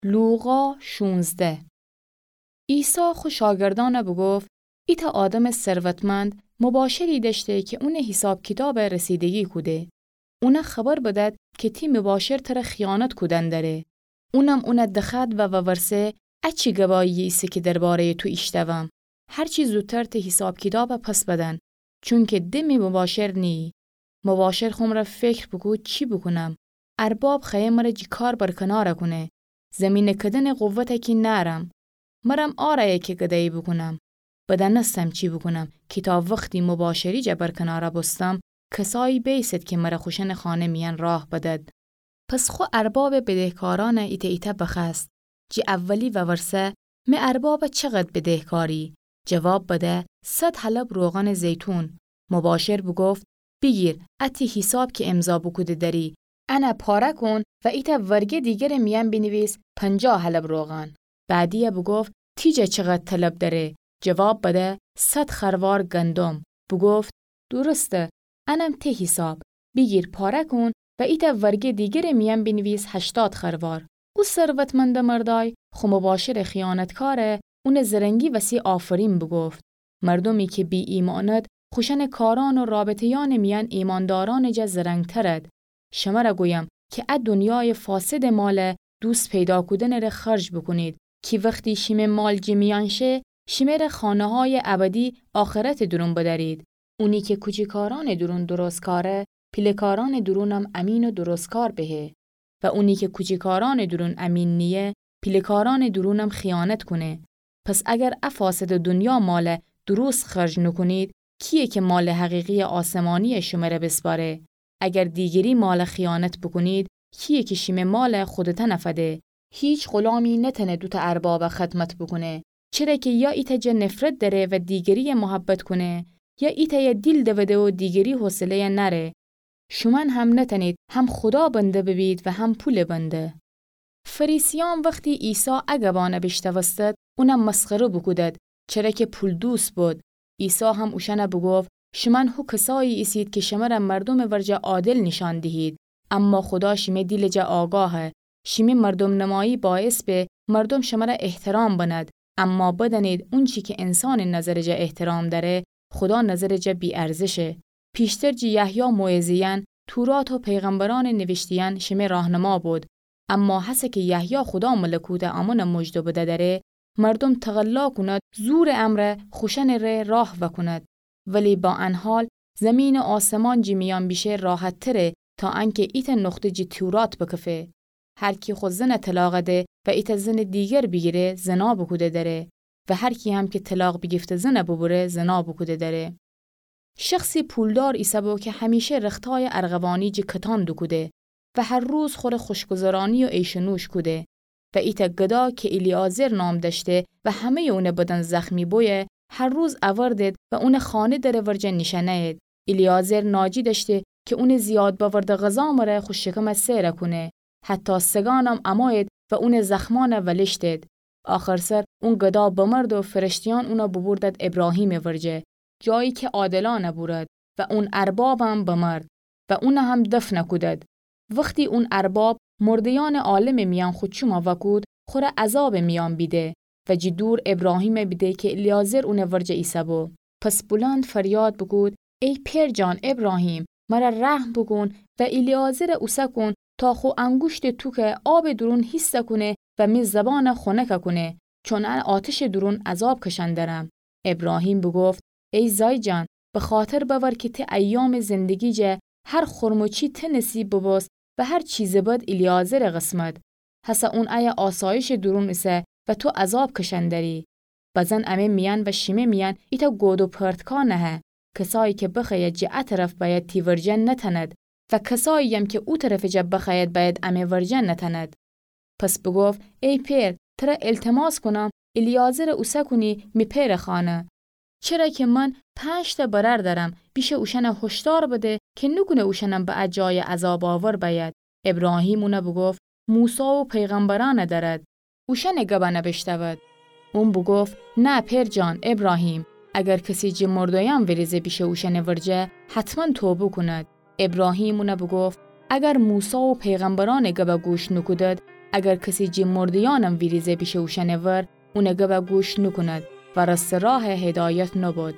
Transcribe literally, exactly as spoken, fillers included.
لوقا شونزده. عیسی خو شاگردأنَ بوگفت: ایتأ آدمٚ ثروتمند مباشری دأشته کی اونٚ حیساب کیتابَ رسیدگی کوده. اونَ خبر بدأد کی تی مباشر تره خیانت کودن دره. اونم اونَ دخوأد و وورسه: ا چی گواییی ایسه کی درباره‌یٚ تو ایشتوم؟ هر چی زودتر تی حیساب کیتابَ پس بدن، چونکی د می مباشر نییی. مباشر خو مرأ فکر بوکود چی بوکونم؟ ارباب خوأیه مرأ جی کار برکنار کونه. زیمینٚ کدنٚ قوتَ کی نأرم. مرم عارأیه کی گدایی بوکونم. بدأنستم چی بوکونم کی تا وختی مباشری جا برکنار بوستم، کسایی بیسد کی مرأ خوشأنٚ خانه میأن راه بدد. پس خو اربابٚ بدهکارأنَ ایتأ ایتأ بخوأست. جی اولی وورسه: می ارباب چقد بدهکاری؟ جواب بده: صد حلب روغانٚ زیتون. مباشر بوگفت: بیگیر، ا تی حیساب کی امضا بوکوده دری، انَ پاره کون و ایتأ ورگه دیگرٚ میأن بینیویس پنجاه حلب روغان. بعدی‌یَ بوگفت: تی جا چقد طلب دره؟ جواب بده: صد خروار گندم. بوگفت: درسته، انم تی حیساب. بیگیر پاره کون و ایتأ ورگه دیگرٚ میأن بینیویس هشتاد خروار. او ثروتمندٚ مردأی خو مباشرٚ خیانتکارَ اونٚ زرنگی وسی آفرین بوگفت. مردومی کی بی‌ایمأند خوشأنٚ کارأن و رابطه‌یأنٚ میأن ایمأندارأنٚ جا زرنگترد. شمرَ گویم کی ا دونیایٚ فاسدٚ مال دوست پیدا کودنٚره خرج بوکونید، کی وختی شیمه مال جی میأن شه، شیمه‌ره خانه‌هایٚ ابدی آخرتٚ دورون بدأرید. اونی کی کوچیکارأنٚ دورون درستکاره، پیله‌کارأنٚ دورونم امین و درستکار بهه. و اونی کی کوچیکارأنٚ دورون امین نییه، پیله‌کارأنٚ دورونم خیانت کونه. پس اگر ا فاسدٚ دونیا مالَ درست خرج نوکونید، کییه کی مالٚ حقیقییٚ آسمانییَ شمره بیسپاره؟ اگر دیگری مالَ خیانت بوکونید، کییه کی شیمه مالَ خودتأنَ فده؟ هیچ غولامی نتأنه دوتأ اربابَ خدمت بوکونه، چره کی یا ایتأ جا نفرت دأره و دیگرییَ محبت کونه، یا ایتأیَ دیل دوده و دیگری حوصله‌یَ نأره. شومأن هم نتأنید هم خودا بنده ببید و هم پولٚ بنده. فریسیأن وختی عیسی ا گبأنَ بیشنوستد، اونَ مسخره بوکودد، چره کی پولدوست بد. عیسی هم اوشأنَ بوگفت: شومأن هو کسایی ایسید کی شمرَ مردومٚ ورجه عادل نیشأن دیهید، اما خودا شیمه دیلٚ جا آگاهه. شیمی مردوم‌نمایی باعث به مردوم شمرَ احترام بند، اما بدأنید اونچی کی انسانٚ نظرٚ جا احترام دأره، خودا نظرٚ جا بی‌ارزشه. پیشتر جی یحیی موعظه‌یأن، تورات و پیغمبرأنٚ نیویشته‌یأن شیمه راهنما بد. اما هسه کی یحیی خودا ملکوتٚ آمونَ مژده بده‌دره، مردوم تقلا کونید زورٚ امرأ خوشأنٚ ره راه وأکونید. ولی با ان حال زیمین و آسمان جی میأن بیشه راحت‌تره تا انکی ایتأ نقطه جی تورات بکفه. هر کی خو زنَ طلاق ده و ایتأ زنٚ دیگر بیگیره، زنا بوکوده دره. و هر کی هم کی طلاق بیگیفته زنَ بوبوره، زنا بوکوده دره. شخصی پولدار ایسه‌بو کی همیشه رختایَ ارغوانی جی کتان دوکوده و هر روز خوره خوشگذرانی و عیش و نوش کوده. و ایتأ گدا کی الیعازر نام دأشته و همه‌یٚ اونٚ بدن زخمی بویه، هر روز اوردد و اونٚ خانه درٚ ورجه نیشأنه‌یید. الیعازر ناجی دأشته کی اونٚ زیاد بأورده غذا مره خو شکمَ سئرَ کونه. حتی سگأنم امویید و اونٚ زخمأنَ ولشتید. آخرسر اون گدا بمرد و فرشته‌یأن اونَ بوبوردد ابراهیمٚ ورجه، جایی کی عادلأنَ بورد، و اون اربابم بمرد و اونَ هم دفنَ کودد. وختی اون ارباب مرده‌یأنٚ عالمٚ میأن خو چومَ وأکود، خوره عذابٚ میأن بیده و جی دور ابراهیمَ بیده کی الیعازر اونٚ ورجه ایسه‌بو. پس بلند فریاد بوکود: ای پئر جان ابراهیم، مرَ رحم بوکون و الیعازرَ اوسه کون تا خو انگوشتٚ توکَ آبٚ دورون هیستَ کونه و می زبانَ خونکَ کونه، چون ان آتشٚ دورون عذاب کشأن درم. ابراهیم بوگفت: ای زای جان، بخاطر بأور کی تی ایامٚ زندگی جا هر خورم و چی تی نصیب ببوست و هر چیزٚ بد الیعازرٚ قسمت. هسه اون ایه آسایشٚ دورون ایسه و تو عذاب کشأن دری. بزن امه میأن و شیمه میأن ایتأ گود و پرتکا نهه. کسایی کی بخوأید جه ا طرف بأید تی ورجه نتأند و کسایی‌یم کی او طرفٚ جا بخوأید بأید امه ورجه نتأند. پس بوگفت: ای پئر، تره ایلتماس کونم الیعازرَ اوسه کونی می پئرٚ خانه. چره کی من پنج‌تأ برأر دأرم، بیشه اوشأنَ هوشدار بده کی نوکونه اوشأنم به ا جایٚ عذاب‌آور بأید. ابراهیم اونَ بوگفت: موسی و پیغمبرأنَ دأرد، اوشأنٚ گبأنَ بیشنود. اون بوگفت: نه پئر جان ابراهیم، اگر کسی جه مردویأن ویریزه بیشه اوشأنٚ ورجه، حتماً توبه کونید. ابراهیم اونَ بوگفت: اگر موسی و پیغمبرأنٚ گبَ گوش نوکودید، اگر کسی جٚه مرده‌یأنم ویریزه بیشه اوشأنٚ ور، اونٚ گبَ گوش نوکوند و راسته راهَ هدایت نوبود.